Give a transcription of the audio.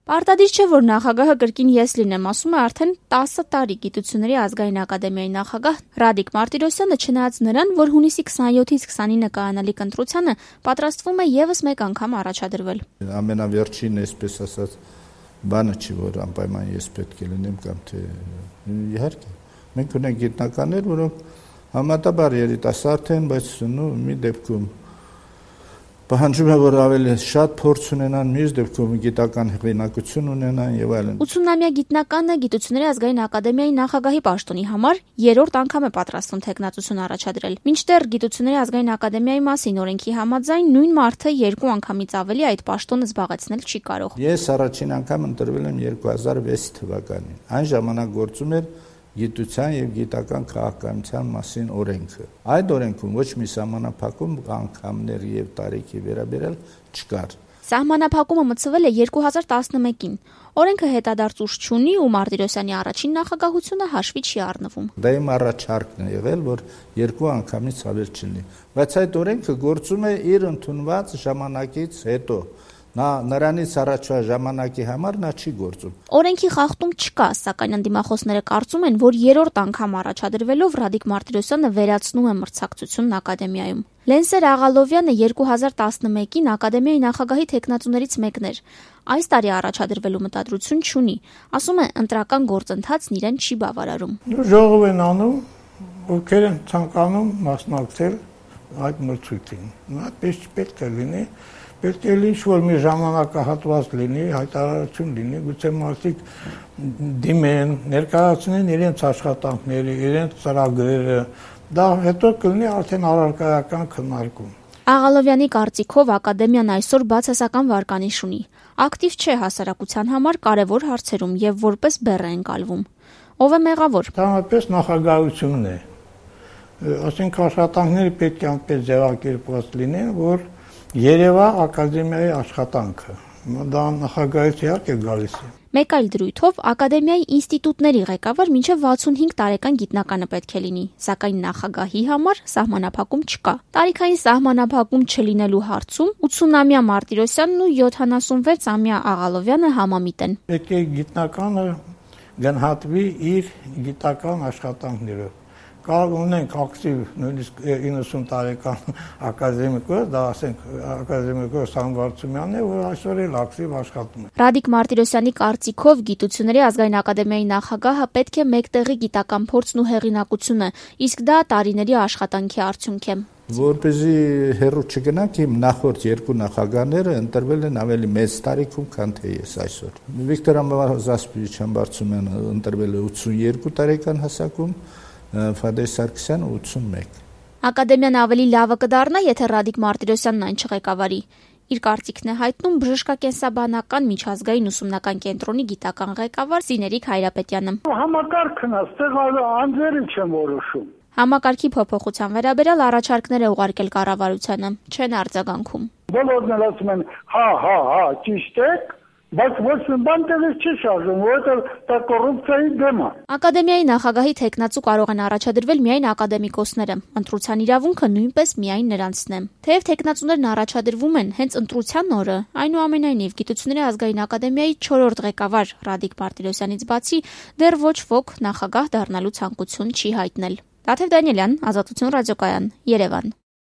Պարտադիր չէ, որ նախագահը կրկին ես լինեմ, ասում է արդեն 10 տարի Գիտությունների ազգային ակադեմիայի նախագահ Ռադիկ Մարտիրոսյանը, չնայած նրան, որ հունիսի 27-ից 29 կայանալիք ընտրությանը պատրաստվում է եւս մեկ անգամ առաջադրվել։ Ամենավերջին, այսպես ասած, բանը չի, որ անպայման ես պետք է լինեմ կամ թե իհարկե։ Մենք ունենք գիտնականներ, որոնք համատաբար երիտասարդ են, բայց մի դեպքում պահանջում է, որ ավելի շատ փորձ ունենան, մյուս դեպքում գիտական հեղինակություն ունենան եւ այլն։ 80-ամյա գիտնականը Գիտությունների ազգային ակադեմիայի նախագահի պաշտոնի համար երրորդ անգամ է պատրաստվում թեկնածություն առաջադրել։ Մինչդեռ Գիտությունների ազգային ակադեմիայի մասին օրենքի համաձայն նույն մարդը 2 անգամից ավելի այդ պաշտոնը զբաղեցնել չի կարող։ Ես առաջին անգամ ընտրվել եմ 2006 թվականին։ Այն ժամանակ գործում էր Գիտության եւ գիտական քաղաքականության մասին օրենքը։ Այդ օրենքում ոչ մի սահմանափակում անգամներ եւ տարիքի վերաբերյալ չկար։ Սահմանափակումը մտցվել է 2011-ին։ Օրենքը հետադարձ ուժ չունի ու Մարտիրոսյանի առաջին նախագահությունը հաշվի չի առնվում։ Դա իմ առաջարկն է եղել, որ 2 անգամից ավել չլինի, բայց այդ օրենքը գործում է իր ընդունված ժամանակից հետո։ Նրանից առաջվա ժամանակի համար նա չի գործում։ Օրենքի խախտում չկա, սակայն ընդդիմախոսները կարծում են, որ երրորդ անգամ առաջադրվելով Ռադիկ Մարտիրոսյանը վերացնում է մրցակցությունն ակադեմիայում։ Լենսեր Աղալովյանը 2011-ին ակադեմիայի նախագահի թեկնածուներից մեկն էր։ Այս տարի առաջադրվելու մտադրություն չունի։ Ասում է, ընտրական գործընթացն իրեն չի բավարարում։ Ժողով են անում, ովքեր են ցանկանում մասնակցել այդ մրցույթին։ Այդպես պետք է լինի։ Պետք է ինչ-որ մի ժամանակահատված լինի, հայտարարություն լինի, գուցե մարդիկ դիմեն, ներկայացնեն իրենց աշխատանքները, իրենց ծրագրերը, դա հետո կլինի արդեն առարկայական քննարկում։ Աղալովյանի կարծիքով ակադեմիան այսօր բացասական վարկանիշ ունի, ակտիվ չէ հասարակության համար կարևոր հարցերում եւ որպես բեռ է ընկալվում։ Ով է մեղավոր։ Դրանպես նախագահությունն է։ Ասենք աշխատանքները պետք է այնպես ձևակերպված լինեն, որ երևա ակադեմիայի աշխատանքը։ Դա նախագահից իհարկե գալիս է։ Մեկ այլ դրույթով ակադեմիայի ինստիտուտների ղեկավար մինչև 65 տարեկան գիտնականը պետք է լինի, սակայն նախագահի համար սահմանափակում չկա։ Տարիքային սահմանափակում չլինելու հարցում 80-ամյա Մարտիրոսյանն ու 76-ամյա Աղալովյանը համամիտ են։ Պետք է գիտնականը գնահատվի իր գիտական աշխատանքներով։ Կարող ունենք ակտիվ նույնիսկ 90 տարեկան ակադեմիկոս, դա ասենք ակադեմիկոս Սամվարցումյանն է, որ այսօր էլ ակտիվ աշխատում է։ Ռադիկ Մարտիրոսյանի կարծիքով Գիտությունների ազգային ակադեմիայի նախագահը պետք է մեկտեղի գիտական փորձն ու հեղինակությունը, իսկ դա տարիների աշխատանքի արդյունք է։ Որպեսզի հեռու չգնանք, իմ նախորդ 2 նախագահները ընտրվել են ավելի մեծ տարիքում, քան թե ես այսօր։ Վիկտոր Զասպիրիչյան Բարցումյանը ընտրվել է 82 տարեկան հասակում, Ֆադեր Սարգսյանը 81։ Ակադեմիան ավելի լավը կդառնա, եթե Ռադիկ Մարտիրոսյանն այն չղեկավարի։ Իր կարծիքն է հայտնում բժշկակենսաբանական միջազգային ուսումնական կենտրոնի գիտական ղեկավար Սիներիկ Հայրապետյանը։ Համակարգն է, այստեղ անձերը չեն որոշում։ Համակարգի փոփոխության վերաբերյալ առաջարկներ է ուղարկել կառավարությանը, չեն արձագանքում։ Բոլորն էլ ասում են, հա, ճիշտ է, բայց ոչ մի բան տեղից չի շարժում, որովհետև դա կոռուպցիայի դեմ է։ Ակադեմիայի նախագահի թեկնածու կարող են առաջադրվել միայն ակադեմիկոսները, ընտրության իրավունքը նույնպես միայն նրանցն է։ Թեև թեկնածուներն առաջադրվում են հենց ընտրության օրը, այնուամենայնիվ Գիտությունների ազգային ակադեմիայի 4-րդ ղեկավար Ռադիկ Մարտիրոսյանից բացի դեռ ոչ ոք նախագահ դառնալու ցանկություն չի հայտնել։ Դաթև Դանիելյան, Ազատություն ռադիոկայան, Երևան։